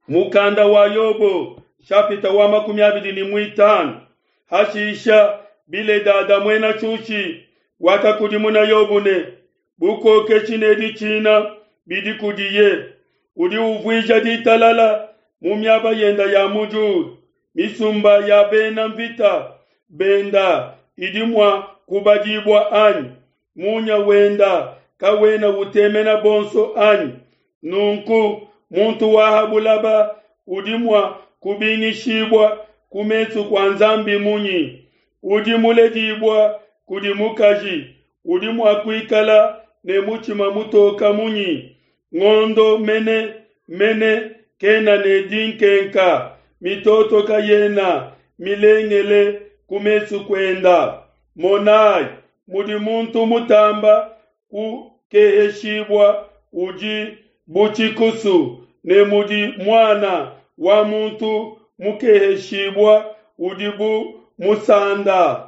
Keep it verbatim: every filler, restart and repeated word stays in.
Mukanda wa Yobo shapita wa makumi abidi ne muitanu hashisha Biledada muena Shushi wakakudimuna Yobo ne bukokeshi ne ditshina bidi kudiye udi uvuija ditalala mu miaba yenda ya mu diulu misumba ya bena mvita benda idi mua kubadibua anyi munya wenda kawena utemena bonso anyi nunku muntu wa ha bulaba udi mua kubingishibua ku mesu kua Nzambi munyi udi muledibua kudi mukaji udi mua kuikala ne mutshima mutoka munyi ngondo mene mene kena ne dinkenka mitoto kayena milengele ku mesu kuenda monai mudi muntu mutamba kukeheshibua udi bu tshikusu ne mudi muana wa muntu mukeheshibua udi bu musanda.